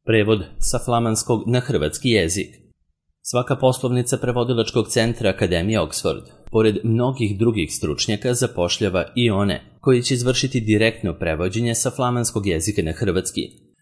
Prevod sa flamanskog na hrvatski jezik. Svaka poslovnica prevodilačkog centra Akademije Oxford, pored mnogih drugih stručnjaka, zapošljava i one koji će izvršiti direktno prevođenje sa flamanskog jezika na hrvatski.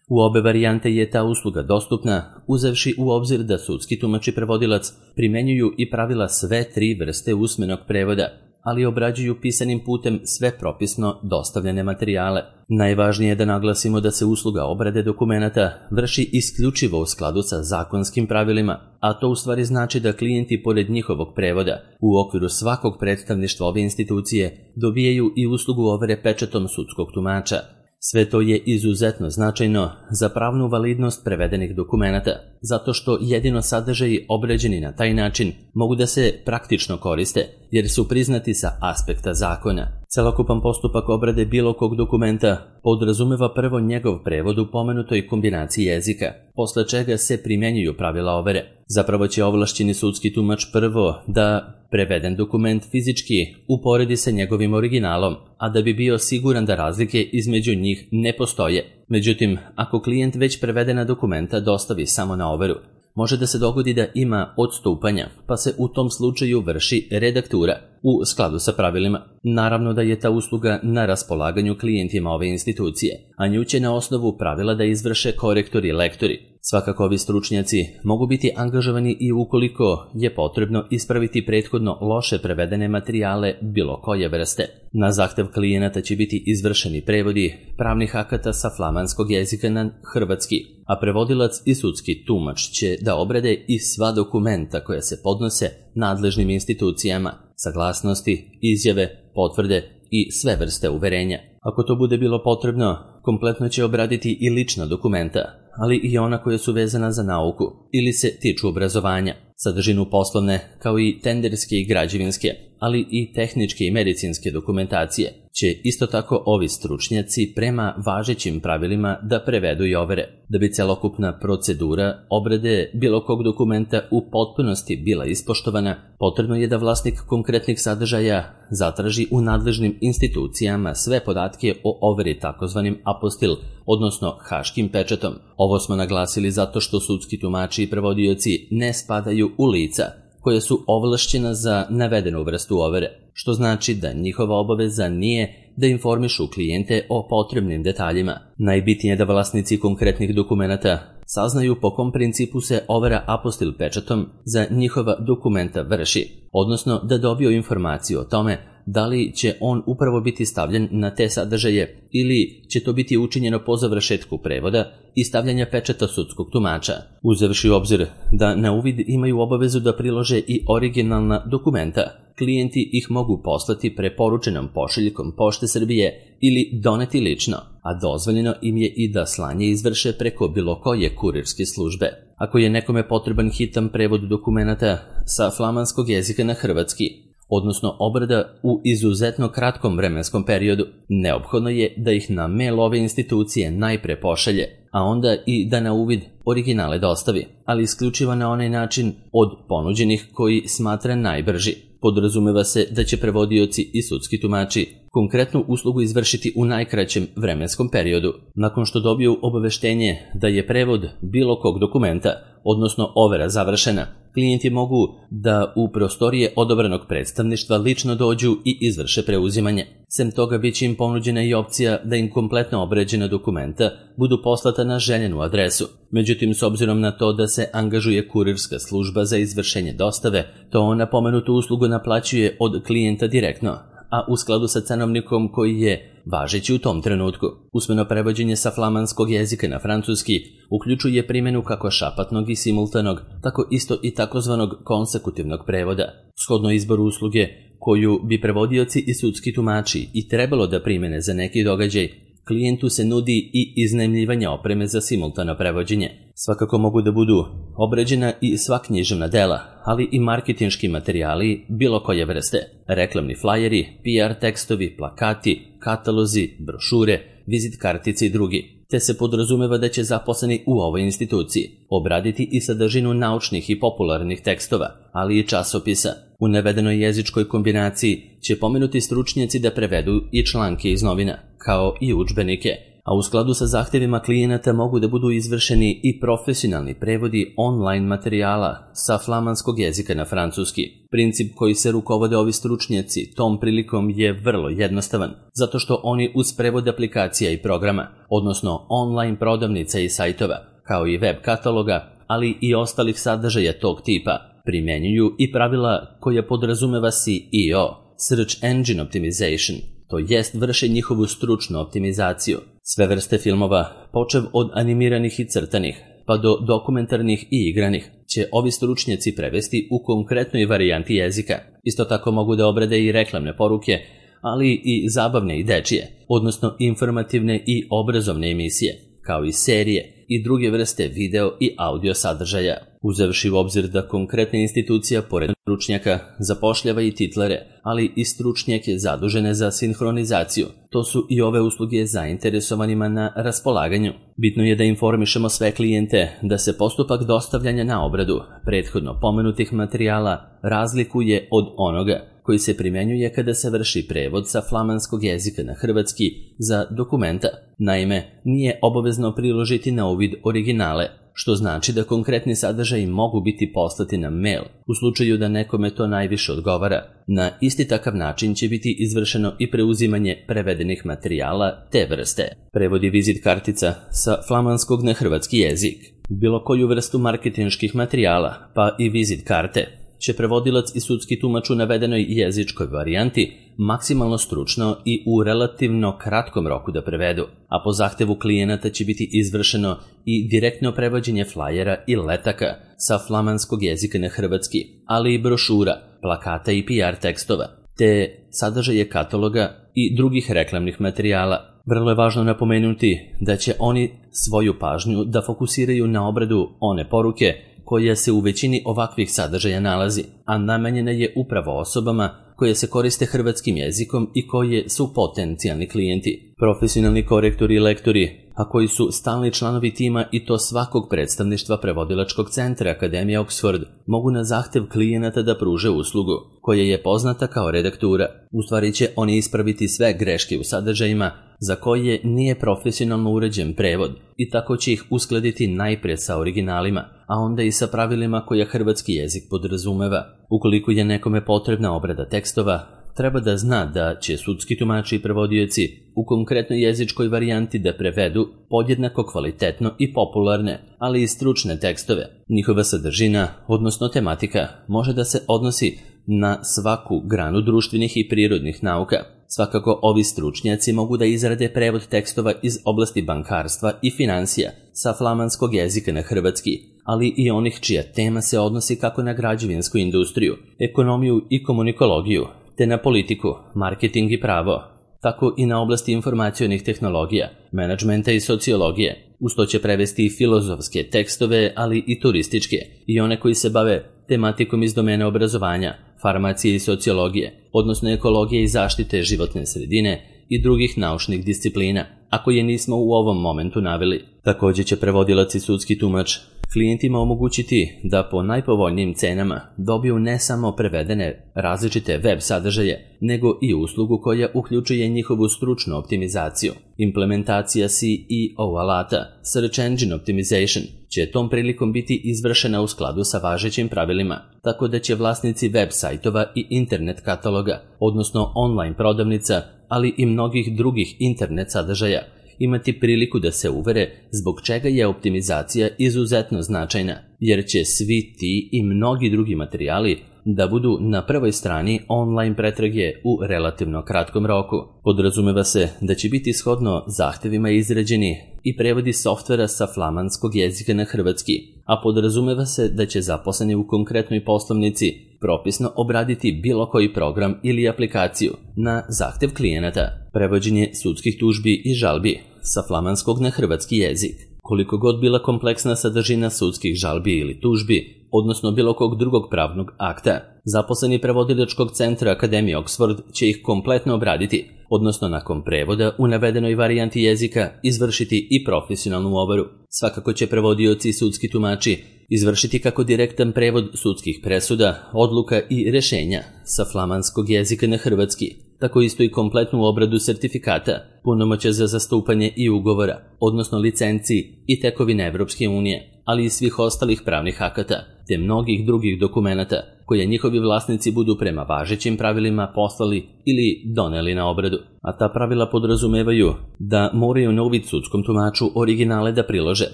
U obe varijante je ta usluga dostupna, uzevši u obzir da sudski tumač i prevodilac primenjuju i pravila sve tri vrste usmenog prevoda, ali obrađuju pisanim putem sve propisno dostavljene materijale. Najvažnije je da naglasimo da se usluga obrade dokumenata vrši isključivo u skladu sa zakonskim pravilima, a to u stvari znači da klijenti pored njihovog prevoda u okviru svakog predstavništva ove institucije dobijaju i uslugu overe pečatom sudskog tumača. Sve to je izuzetno značajno za pravnu validnost prevedenih dokumenata, zato što jedino sadržaji obrađeni na taj način mogu da se praktično koriste, jer su priznati sa aspekta zakona. Celokupan postupak obrade bilo kog dokumenta podrazumeva prvo njegov prevod u pomenutoj kombinaciji jezika, posle čega se primjenjuju pravila overe. Zapravo će ovlašćeni sudski tumač prvo da preveden dokument fizički uporedi sa njegovim originalom, a da bi bio siguran da razlike između njih ne postoje. Međutim, ako klijent već prevedena dokumenta dostavi samo na overu, može da se dogodi da ima odstupanja, pa se u tom slučaju vrši redaktura u skladu sa pravilima. Naravno da je ta usluga na raspolaganju klijentima ove institucije, a nju će na osnovu pravila da izvrše korektori i lektori. Svakako ovi stručnjaci mogu biti angažovani i ukoliko je potrebno ispraviti prethodno loše prevedene materijale bilo koje vrste. Na zahtev klijenata će biti izvršeni prevodi pravnih akata sa flamanskog jezika na hrvatski, a prevodilac i sudski tumač će da obrade i sva dokumenta koja se podnose nadležnim institucijama, saglasnosti, izjave, potvrde i sve vrste uverenja. Ako to bude bilo potrebno, kompletno će obraditi i lična dokumenta, ali i ona koja su vezana za nauku ili se tiču obrazovanja, sadržinu poslovne kao i tenderske i građevinske, ali i tehničke i medicinske dokumentacije će isto tako ovi stručnjaci prema važećim pravilima da prevedu i overe. Da bi celokupna procedura obrade bilo kog dokumenta u potpunosti bila ispoštovana, potrebno je da vlasnik konkretnih sadržaja zatraži u nadležnim institucijama sve podatke o overi takozvanim apostil, odnosno haškim pečatom. Ovo smo naglasili zato što sudski tumači i prevodioci ne spadaju u lica koje su ovlašćena za navedenu vrstu overe, što znači da njihova obaveza nije da informišu klijente o potrebnim detaljima. Najbitnije je da vlasnici konkretnih dokumenata saznaju po kom principu se overa apostil pečatom za njihova dokumenta vrši, odnosno da dobiju informaciju o tome da li će on upravo biti stavljen na te sadržaje ili će to biti učinjeno po završetku prevoda i stavljanja pečata sudskog tumača. Uzevši u obzir da na uvid imaju obavezu da prilože i originalna dokumenta, klijenti ih mogu poslati preporučenom pošiljkom Pošte Srbije ili doneti lično, a dozvoljeno im je i da slanje izvrše preko bilo koje kurirske službe. Ako je nekome potreban hitan prevod dokumenata sa flamanskog jezika na hrvatski, odnosno obrada u izuzetno kratkom vremenskom periodu, neophodno je da ih na mail ove institucije najpre pošalje, a onda i da na uvid originale dostavi, ali isključivo na onaj način od ponuđenih koji smatra najbrži. Podrazumeva se da će prevodioci i sudski tumači konkretnu uslugu izvršiti u najkraćem vremenskom periodu. Nakon što dobiju obaveštenje da je prevod bilo kog dokumenta, odnosno overa završena, klijenti mogu da u prostorije odabranog predstavništva lično dođu i izvrše preuzimanje. Sem toga bit će im ponuđena i opcija da im kompletno obrađena dokumenta budu poslata na željenu adresu. Međutim, s obzirom na to da se angažuje kurirska služba za izvršenje dostave, to ona pomenutu uslugu naplaćuje od klijenta direktno, a u skladu sa cenovnikom koji je važeći u tom trenutku. Usmeno prevođenje sa flamanskog jezika na francuski uključuje primjenu kako šapatnog i simultanog, tako isto i takozvanog konsekutivnog prevoda. Shodno izboru usluge koju bi prevodioci i sudski tumači i trebalo da primjene za neki događaj, klijentu se nudi i iznajmljivanje opreme za simultano prevođenje. Svakako mogu da budu obrađena i sva književna dela, ali i marketinški materijali bilo koje vrste, reklamni flajeri, PR tekstovi, plakati, katalozi, brošure, vizit kartice i drugi, te se podrazumeva da će zaposleni u ovoj instituciji obraditi i sadržinu naučnih i popularnih tekstova, ali i časopisa. U navedenoj jezičkoj kombinaciji će pomenuti stručnjaci da prevedu i članke iz novina, kao i udžbenike, a u skladu sa zahtjevima klijenata mogu da budu izvršeni i profesionalni prevodi online materijala sa flamanskog jezika na francuski. Princip koji se rukovode ovi stručnjaci tom prilikom je vrlo jednostavan, zato što oni uz prevod aplikacija i programa, odnosno online prodavnica i sajtova, kao i web kataloga, ali i ostalih sadržaja tog tipa, primjenjuju i pravila koja podrazumeva SEO, Search Engine Optimization, to jest vrše njihovu stručnu optimizaciju. Sve vrste filmova, počev od animiranih i crtanih, pa do dokumentarnih i igranih, će ovi stručnjaci prevesti u konkretnoj varijanti jezika. Isto tako mogu da obrade i reklamne poruke, ali i zabavne i dečije, odnosno informativne i obrazovne emisije, kao i serije i druge vrste video i audio sadržaja. Uzevši u obzir da konkretna institucija, pored stručnjaka, zapošljava i titlere, ali i stručnjake zadužene za sinhronizaciju. To su i ove usluge zainteresovanima na raspolaganju. Bitno je da informišemo sve klijente da se postupak dostavljanja na obradu prethodno pomenutih materijala razlikuje od onoga koji se primjenjuje kada se vrši prevod sa flamanskog jezika na hrvatski za dokumenta. Naime, nije obavezno priložiti na uvid originale, što znači da konkretni sadržaji mogu biti poslati na mail u slučaju da nekome to najviše odgovara. Na isti takav način će biti izvršeno i preuzimanje prevedenih materijala te vrste. Prevodi vizit kartica sa flamanskog na hrvatski jezik. Bilo koju vrstu marketinških materijala, pa i vizit karte, će prevodilac i sudski tumač u navedenoj jezičkoj varijanti maksimalno stručno i u relativno kratkom roku da prevedu, a po zahtevu klijenata će biti izvršeno i direktno prevođenje flajera i letaka sa flamanskog jezika na hrvatski, ali i brošura, plakata i PR tekstova, te sadržaje kataloga i drugih reklamnih materijala. Vrlo je važno napomenuti da će oni svoju pažnju da fokusiraju na obradu one poruke koja se u većini ovakvih sadržaja nalazi, a namenjena je upravo osobama koje se koriste hrvatskim jezikom i koje su potencijalni klijenti. Profesionalni korektori i lektori, a koji su stalni članovi tima i to svakog predstavništva prevodilačkog centra Akademije Oxford, mogu na zahtev klijenata da pruže uslugu, koja je poznata kao redaktura. U stvari će oni ispraviti sve greške u sadržajima za koje nije profesionalno uređen prevod i tako će ih uskladiti najprije sa originalima, a onda i sa pravilima koja hrvatski jezik podrazumeva. Ukoliko je nekome potrebna obrada tekstova, treba da zna da će sudski tumači i prevodioci u konkretnoj jezičkoj varijanti da prevedu podjednako kvalitetno i popularne, ali i stručne tekstove. Njihova sadržina, odnosno tematika, može da se odnosi na svaku granu društvenih i prirodnih nauka. Svakako ovi stručnjaci mogu da izrade prevod tekstova iz oblasti bankarstva i financija sa flamanskog jezika na hrvatski, ali i onih čija tema se odnosi kako na građevinsku industriju, ekonomiju i komunikologiju, te na politiku, marketing i pravo, tako i na oblasti informacionih tehnologija, menadžmenta i sociologije. Uz to će prevesti i filozofske tekstove, ali i turističke, i one koji se bave tematikom iz domena obrazovanja, farmacije i sociologije, odnosno ekologije i zaštite životne sredine i drugih naučnih disciplina, a koje nismo u ovom momentu naveli. Također će prevodilac i sudski tumač klijentima omogućiti da po najpovoljnijim cenama dobiju ne samo prevedene različite web sadržaje, nego i uslugu koja uključuje njihovu stručnu optimizaciju. Implementacija SEO alata, Search Engine Optimization, će tom prilikom biti izvršena u skladu sa važećim pravilima, tako da će vlasnici web sajtova i internet kataloga, odnosno online prodavnica, ali i mnogih drugih internet sadržaja, imati priliku da se uvere zbog čega je optimizacija izuzetno značajna, jer će svi ti i mnogi drugi materijali da budu na prvoj strani online pretrage u relativno kratkom roku. Podrazumeva se da će biti shodno zahtevima izrađeni i prevodi softvera sa flamanskog jezika na hrvatski, a podrazumeva se da će zaposleni u konkretnoj poslovnici propisno obraditi bilo koji program ili aplikaciju na zahtev klijenata. Prevođenje sudskih tužbi i žalbi sa flamanskog na hrvatski jezik. Koliko god bila kompleksna sadržina sudskih žalbi ili tužbi, odnosno bilo kog drugog pravnog akta, zaposleni prevodilačkog centra Akademije Oxford će ih kompletno obraditi, odnosno nakon prevoda u navedenoj varijanti jezika izvršiti i profesionalnu overu. Svakako će prevodioci i sudski tumači izvršiti kako direktan prevod sudskih presuda, odluka i rešenja sa flamanskog jezika na hrvatski, tako isto i kompletnu obradu sertifikata, punomoćja za zastupanje i ugovora, odnosno licenciji i tekovine Evropske unije, ali i svih ostalih pravnih akata, te mnogih drugih dokumenata koje njihovi vlasnici budu prema važećim pravilima poslali ili doneli na obradu. A ta pravila podrazumevaju da moraju na uvid sudskom tumaču originale da prilože,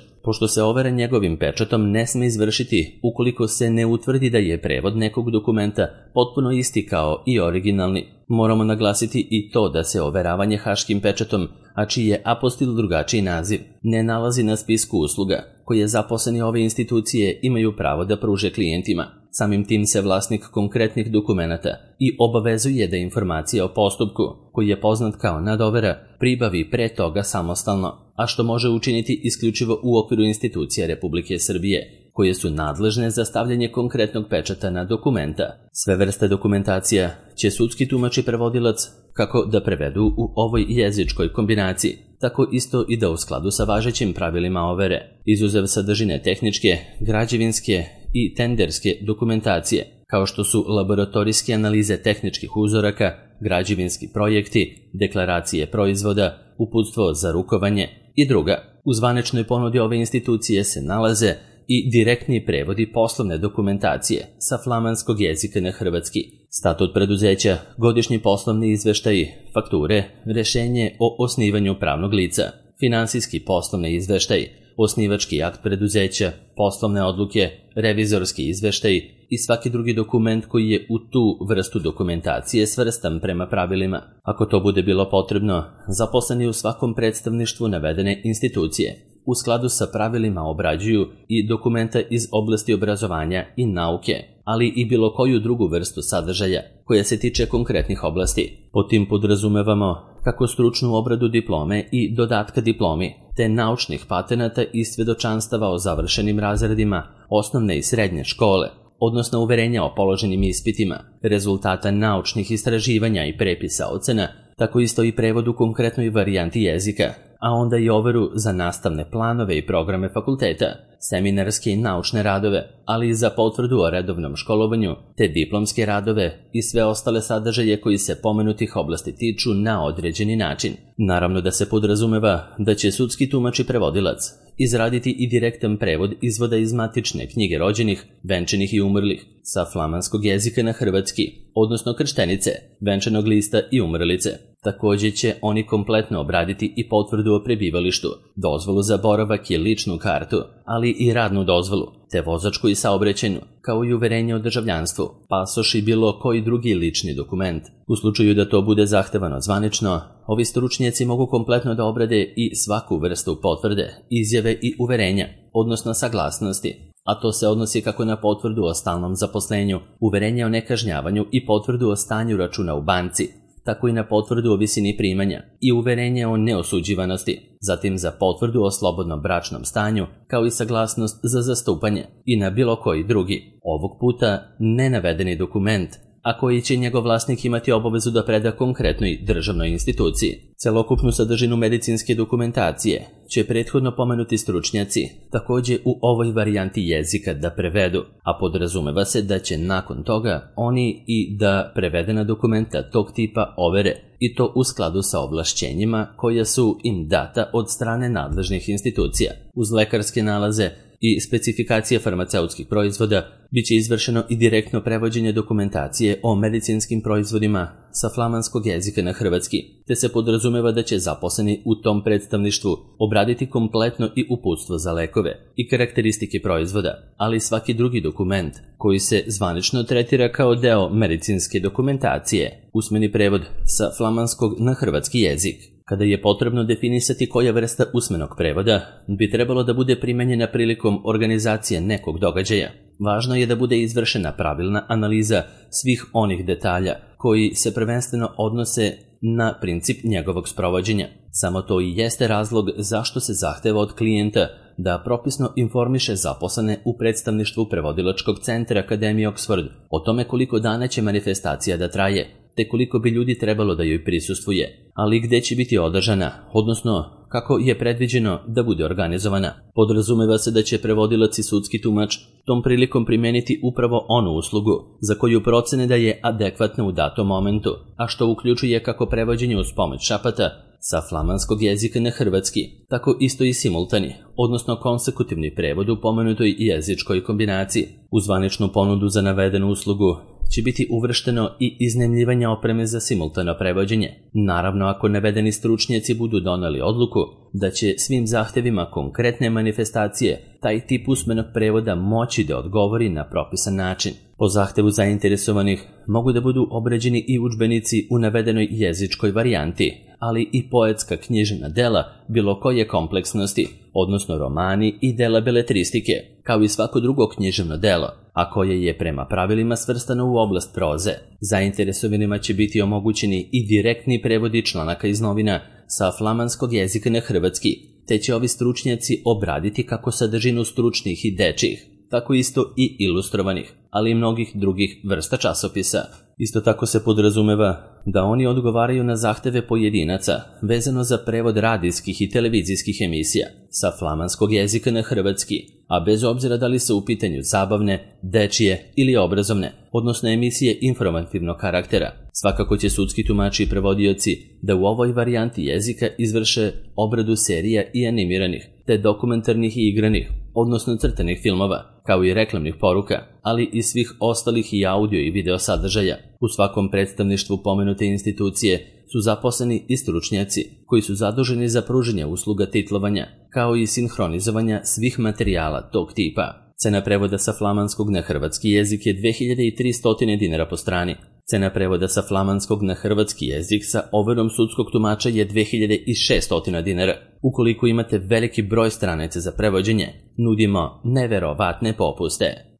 pošto se overa njegovim pečatom ne sme izvršiti ukoliko se ne utvrdi da je prevod nekog dokumenta potpuno isti kao i originalni. Moramo naglasiti i to da se overavanje haškim pečatom, a čiji je apostil drugačiji naziv, ne nalazi na spisku usluga koje zaposleni ove institucije imaju pravo da pruže klijentima. Samim tim se vlasnik konkretnih dokumenata i obavezuje da informacije o postupku, koji je poznat kao nadovera, pribavi pre toga samostalno, a što može učiniti isključivo u okviru institucija Republike Srbije, koje su nadležne za stavljanje konkretnog pečata na dokumenta. Sve vrste dokumentacija će sudski tumač i prevodilac kako da prevedu u ovoj jezičkoj kombinaciji, tako isto i da u skladu sa važećim pravilima overe, izuzev sadržine tehničke, građevinske i tenderske dokumentacije, kao što su laboratorijske analize tehničkih uzoraka, građevinski projekti, deklaracije proizvoda, uputstvo za rukovanje i druga. U zvaničnoj ponudi ove institucije se nalaze i direktni prevodi poslovne dokumentacije sa flamanskog jezika na hrvatski, statut preduzeća, godišnji poslovni izveštaji, fakture, rešenje o osnivanju pravnog lica, finansijski poslovni izveštaj, osnivački akt preduzeća, poslovne odluke, revizorski izveštaj i svaki drugi dokument koji je u tu vrstu dokumentacije svrstan prema pravilima. Ako to bude bilo potrebno, zaposleni u svakom predstavništvu navedene institucije u skladu sa pravilima obrađuju i dokumenta iz oblasti obrazovanja i nauke, ali i bilo koju drugu vrstu sadržaja koja se tiče konkretnih oblasti. Pod tim podrazumevamo kako stručnu obradu diplome i dodatka diplomi, te naučnih patenata i svedočanstava o završenim razredima osnovne i srednje škole, odnosno uverenja o položenim ispitima, rezultata naučnih istraživanja i prepisa ocena, tako isto i prevod u konkretnoj varijanti jezika, a onda i overu za nastavne planove i programe fakulteta, seminarske i naučne radove, ali i za potvrdu o redovnom školovanju, te diplomske radove i sve ostale sadržaje koji se pomenutih oblasti tiču na određeni način. Naravno da se podrazumeva da će sudski tumač i prevodilac izraditi i direktan prevod izvoda iz matične knjige rođenih, venčanih i umrlih sa flamanskog jezika na hrvatski, odnosno krštenice, venčanog lista i umrlice. Također će oni kompletno obraditi i potvrdu o prebivalištu, dozvolu za boravak i ličnu kartu, ali i radnu dozvolu, te vozačku i saobraćajnu, kao i uverenje o državljanstvu, pasoš i bilo koji drugi lični dokument. U slučaju da to bude zahtevano zvanično, ovi stručnjaci mogu kompletno da obrade i svaku vrstu potvrde, izjave i uverenja, odnosno saglasnosti, a to se odnosi kako na potvrdu o stalnom zaposlenju, uverenje o nekažnjavanju i potvrdu o stanju računa u banci, tako i na potvrdu o visini primanja i uverenje o neosuđivanosti, zatim za potvrdu o slobodnom bračnom stanju, kao i saglasnost za zastupanje i na bilo koji drugi, ovog puta nenavedeni dokument, a koji će njegov vlasnik imati obavezu da preda konkretnoj državnoj instituciji. Celokupnu sadržinu medicinske dokumentacije će prethodno pomenuti stručnjaci također u ovoj varijanti jezika da prevedu, a podrazumeva se da će nakon toga oni i da prevedena dokumenta tog tipa overe, i to u skladu sa ovlašćenjima koja su im data od strane nadležnih institucija. Uz lekarske nalaze i specifikacije farmaceutskih proizvoda biće izvršeno i direktno prevođenje dokumentacije o medicinskim proizvodima sa flamanskog jezika na hrvatski, te se podrazumeva da će zaposleni u tom predstavništvu obraditi kompletno i uputstvo za lekove i karakteristike proizvoda, ali i svaki drugi dokument koji se zvanično tretira kao deo medicinske dokumentacije, usmeni prevod sa flamanskog na hrvatski jezik. Kada je potrebno definisati koja vrsta usmenog prevoda bi trebalo da bude primenjena prilikom organizacije nekog događaja, važno je da bude izvršena pravilna analiza svih onih detalja koji se prvenstveno odnose na princip njegovog sprovođenja. Samo to i jeste razlog zašto se zahteva od klijenta da propisno informiše zaposlene u predstavništvu prevodilačkog centra Akademije Oxford o tome koliko dana će manifestacija da traje, te koliko bi ljudi trebalo da joj prisustvuje, ali gde će biti održana, odnosno kako je predviđeno da bude organizovana. Podrazumeva se da će prevodilac i sudski tumač tom prilikom primeniti upravo onu uslugu za koju procene da je adekvatna u datom momentu, a što uključuje kako prevođenje uz pomoć šapata sa flamanskog jezika na hrvatski, tako isto i simultani, odnosno konsekutivni prevod u pomenutoj jezičkoj kombinaciji. U zvaničnu ponudu za navedenu uslugu će biti uvršteno i iznajmljivanje opreme za simultano prevođenje. Naravno, ako navedeni stručnjaci budu doneli odluku da će svim zahtevima konkretne manifestacije taj tip usmenog prevoda moći da odgovori na propisan način. Po zahtevu zainteresovanih mogu da budu obrađeni i udžbenici u navedenoj jezičkoj varijanti, ali i poetska književna dela bilo koje kompleksnosti, odnosno romani i dela beletristike, kao i svako drugo književno delo, a koje je prema pravilima svrstano u oblast proze. Zainteresovanima će biti omogućeni i direktni prevodi članaka iz novina sa flamanskog jezika na hrvatski, te će ovi stručnjaci obraditi kako sadržinu stručnih i dečjih, tako isto i ilustrovanih, ali i mnogih drugih vrsta časopisa. Isto tako se podrazumeva da oni odgovaraju na zahteve pojedinaca vezano za prevod radijskih i televizijskih emisija sa flamanskog jezika na hrvatski, a bez obzira da li se u pitanju zabavne, dečije ili obrazovne, odnosno emisije informativnog karaktera. Svakako će sudski tumači i prevodioci da u ovoj varijanti jezika izvrše obradu serija i animiranih, te dokumentarnih i igranih, odnosno crtanih filmova, kao i reklamnih poruka, ali i svih ostalih i audio i video sadržaja. U svakom predstavništvu pomenute institucije su zaposleni i stručnjaci koji su zaduženi za pružanje usluga titlovanja, kao i sinhronizovanja svih materijala tog tipa. Cena prevoda sa flamanskog na hrvatski jezik je 2300 dinara po strani. Cena prevoda sa flamanskog na hrvatski jezik sa overom sudskog tumača je 2600 dinara. Ukoliko imate veliki broj stranica za prevođenje, nudimo neverovatne popuste.